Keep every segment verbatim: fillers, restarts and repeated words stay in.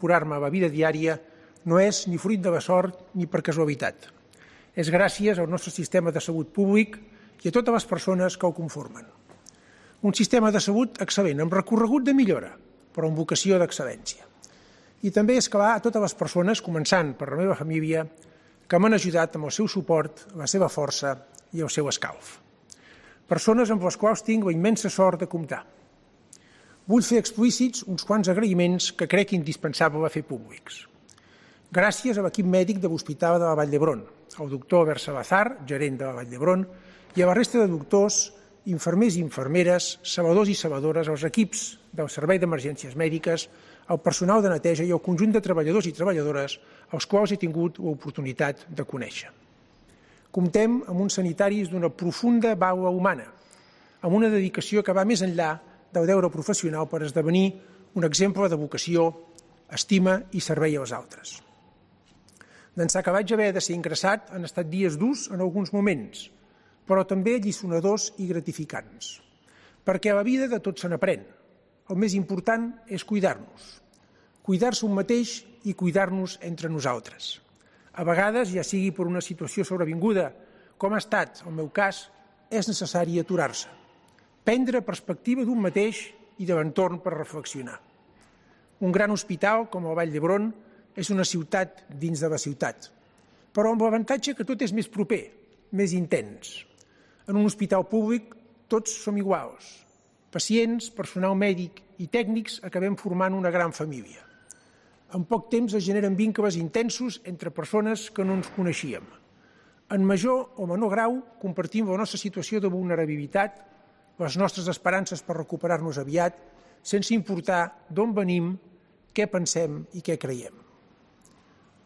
incorporar-me a la vida diària no és ni fruit de la sort ni per casualitat. És gràcies al nostre sistema de salut públic i a totes les persones que el conformen. Un sistema de salut excel·lent, amb recorregut de millora, però amb vocació d'excel·lència. I també és clar a totes les persones, començant per la meva família, que m'han ajudat amb el seu suport, la seva força i el seu escalf. Persones amb les quals tinc la immensa sort de comptar. Vull fer explícits uns quants agraïments que crec indispensable fer públics. Gràcies a l'equip mèdic de l'Hospital de la Vall d'Hebron, al doctor Albert Salazar, gerent de la Vall d'Hebron, i a la resta de doctors, infermers i infermeres, salvadors i salvadores, als equips del Servei d'Emergències Mèdiques, al personal de neteja i al conjunt de treballadors i treballadores als quals he tingut l'oportunitat de conèixer. Comptem amb uns sanitaris d'una profunda vàlua humana, amb una dedicació que va més enllà del deure professional per esdevenir un exemple de vocació, estima i servei als altres. D'ençà que vaig haver de ser ingressat han estat dies durs en alguns moments, però també alliçonadors i gratificants, perquè a la vida de tot se n'aprèn. El més important és cuidar-nos, cuidar-se un mateix i cuidar-nos entre nosaltres. A vegades, ja sigui per una situació sobrevinguda, com ha estat el meu cas, és necessari aturar-se, prendre perspectiva d'un mateix i de l'entorn per reflexionar. Un gran hospital, com el Vall d'Hebron, és una ciutat dins de la ciutat, però amb l'avantatge que tot és més proper, més intens. En un hospital públic tots som iguals. Pacients, personal mèdic i tècnics acabem formant una gran família. En poc temps es generen vincles intensos entre persones que no ens coneixíem. En major o menor grau compartim la nostra situació de vulnerabilitat, les nostres esperances per recuperar-nos aviat, sense importar d'on venim, què pensem i què creiem.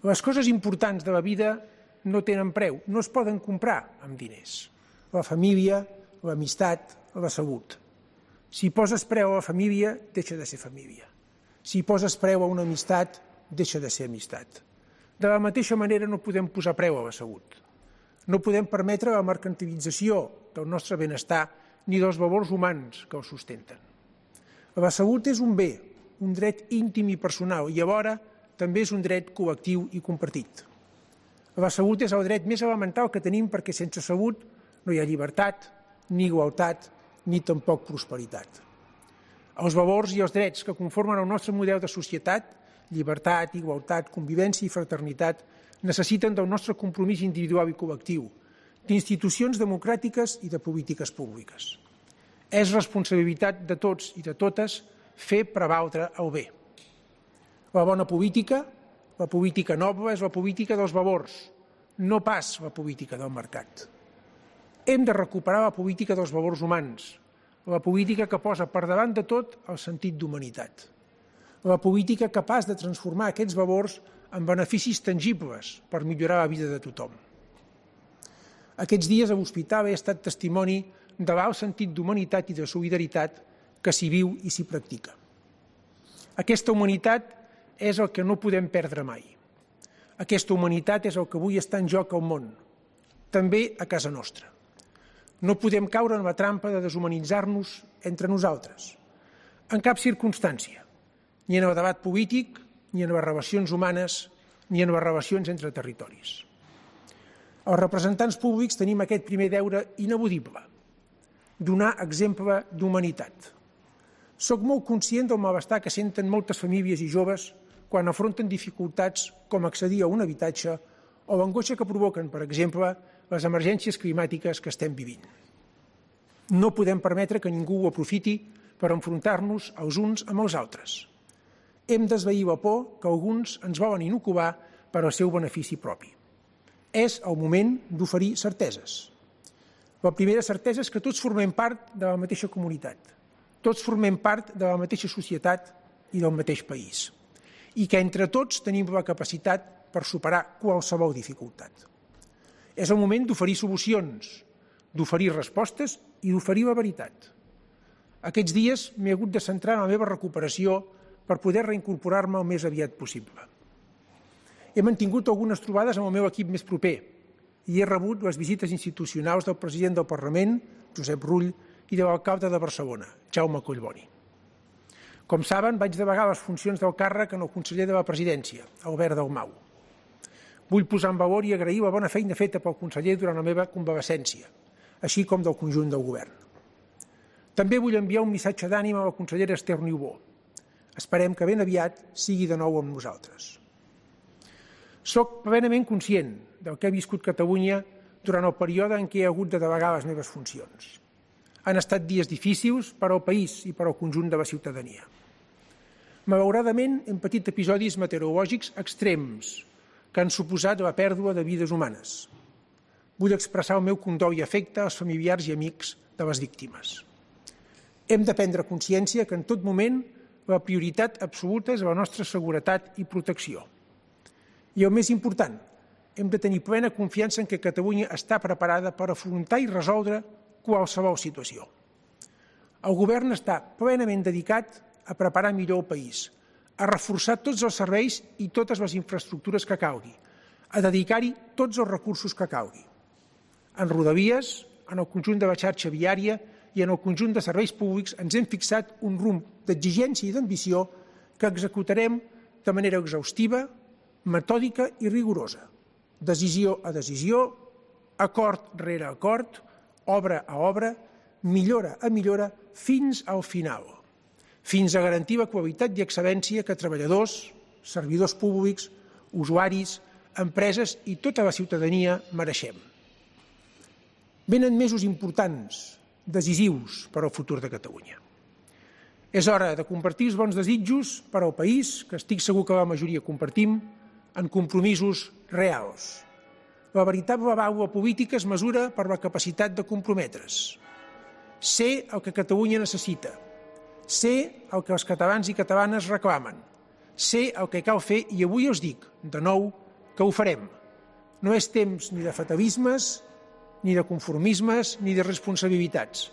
Les coses importants de la vida no tenen preu, no es poden comprar amb diners. La família, l'amistat, la salut. Si poses preu a la família, deixa de ser família. Si poses preu a una amistat, deixa de ser amistat. De la mateixa manera no podem posar preu a la salut. No podem permetre la mercantilització del nostre benestar ni dels valors humans que el sustenten. La salut és un bé, un dret íntim i personal i alhora també és un dret col·lectiu i compartit. La salut és el dret més elemental que tenim perquè sense salut no hi ha llibertat, ni igualtat, ni tampoc prosperitat. Els valors i els drets que conformen el nostre model de societat, llibertat, igualtat, convivència i fraternitat, necessiten del nostre compromís individual i col·lectiu, d'institucions democràtiques i de polítiques públiques. És responsabilitat de tots i de totes fer prevaldre el bé. La bona política, la política noble, és la política dels valors, no pas la política del mercat. Hem de recuperar la política dels valors humans, la política que posa per davant de tot el sentit d'humanitat, la política capaç de transformar aquests valors en beneficis tangibles per millorar la vida de tothom. Aquests dies a l'hospital he estat testimoni de l'alt sentit d'humanitat i de solidaritat que s'hi viu i s'hi practica. Aquesta humanitat és el que no podem perdre mai. Aquesta humanitat és el que avui està en joc al món, també a casa nostra. No podem caure en la trampa de deshumanitzar-nos entre nosaltres, en cap circumstància, ni en el debat polític, ni en les relacions humanes, ni en les relacions entre territoris. Els representants públics tenim aquest primer deure ineludible, donar exemple d'humanitat. Soc molt conscient del malestar que senten moltes famílies i joves quan afronten dificultats com accedir a un habitatge o l'angoixa que provoquen, per exemple, les emergències climàtiques que estem vivint. No podem permetre que ningú ho aprofiti per enfrontar-nos els uns amb els altres. Hem d'esvair la por que alguns ens volen inocular per al seu benefici propi. És el moment d'oferir certeses. La primera certesa és que tots formem part de la mateixa comunitat, tots formem part de la mateixa societat i del mateix país, i que entre tots tenim la capacitat per superar qualsevol dificultat. És el moment d'oferir solucions, d'oferir respostes i d'oferir la veritat. Aquests dies m'he hagut de centrar en la meva recuperació per poder reincorporar-me el més aviat possible. He mantingut algunes trobades amb el meu equip més proper i he rebut les visites institucionals del president del Parlament, Josep Rull, i de l'alcalde de Barcelona, Jaume Collboni. Com saben, vaig delegar les funcions del càrrec en el conseller de la Presidència, Albert Dalmau. Vull posar en valor i agrair la bona feina feta pel conseller durant la meva convalescència, així com del conjunt del govern. També vull enviar un missatge d'ànim a la consellera Esther Niubó. Esperem que ben aviat sigui de nou amb nosaltres. Soc plenament conscient del que ha viscut Catalunya durant el període en què he hagut de delegar les meves funcions. Han estat dies difícils per al país i per al conjunt de la ciutadania. Malauradament, hem patit episodis meteorològics extrems que han suposat la pèrdua de vides humanes. Vull expressar el meu condol i afecte als familiars i amics de les víctimes. Hem de prendre consciència que en tot moment la prioritat absoluta és la nostra seguretat i protecció. I el més important, hem de tenir plena confiança en que Catalunya està preparada per afrontar i resoldre qualsevol situació. El govern està plenament dedicat a preparar millor el país, a reforçar tots els serveis i totes les infraestructures que calgui, a dedicar-hi tots els recursos que calgui. En Rodalies, en el conjunt de la xarxa viària i en el conjunt de serveis públics ens hem fixat un rumb d'exigència i d'ambició que executarem de manera exhaustiva, metòdica i rigorosa, decisió a decisió, acord rere acord, obra a obra, millora a millora, fins al final, fins a garantir la qualitat i excel·lència que treballadors, servidors públics, usuaris, empreses i tota la ciutadania mereixem. Venen mesos importants, decisius per al futur de Catalunya. És hora de compartir els bons desitjos per al país, que estic segur que la majoria compartim, en compromisos reals. La veritable vàlua política es mesura per la capacitat de comprometre's. Ser el que Catalunya necessita, ser el que els catalans i catalanes reclamen, ser el que cal fer i avui us dic, de nou, que ho farem. No és temps ni de fatalismes, ni de conformismes, ni de responsabilitats.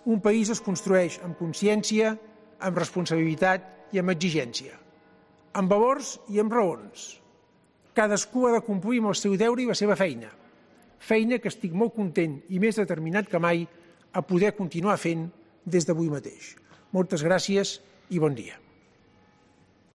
Un país es construeix amb consciència, amb responsabilitat i amb exigència, amb valors i amb raons. Cadascú ha de complir amb el seu deure i la seva feina, feina que estic molt content i més determinat que mai a poder continuar fent des d'avui mateix. Moltes gràcies i bon dia.